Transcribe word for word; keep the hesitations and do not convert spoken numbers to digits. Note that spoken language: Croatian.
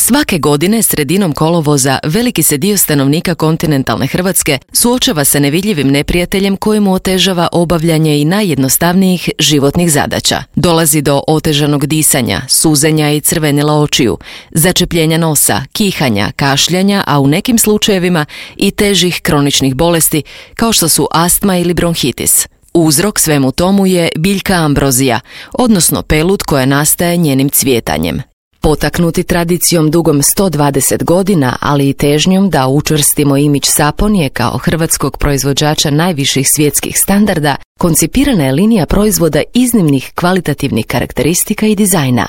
Svake godine, sredinom kolovoza, veliki se dio stanovnika kontinentalne Hrvatske suočava sa nevidljivim neprijateljem koji mu otežava obavljanje i najjednostavnijih životnih zadaća. Dolazi do otežanog disanja, suzenja i crvenila očiju, začepljenja nosa, kihanja, kašljanja, a u nekim slučajevima i težih kroničnih bolesti kao što su astma ili bronhitis. Uzrok svemu tomu je biljka ambrozija, odnosno pelut koja nastaje njenim cvjetanjem. Potaknuti tradicijom dugom sto dvadeset godina, ali i težnjom da učvrstimo imidž Saponije kao hrvatskog proizvođača najviših svjetskih standarda, koncipirana je linija proizvoda iznimnih kvalitativnih karakteristika i dizajna.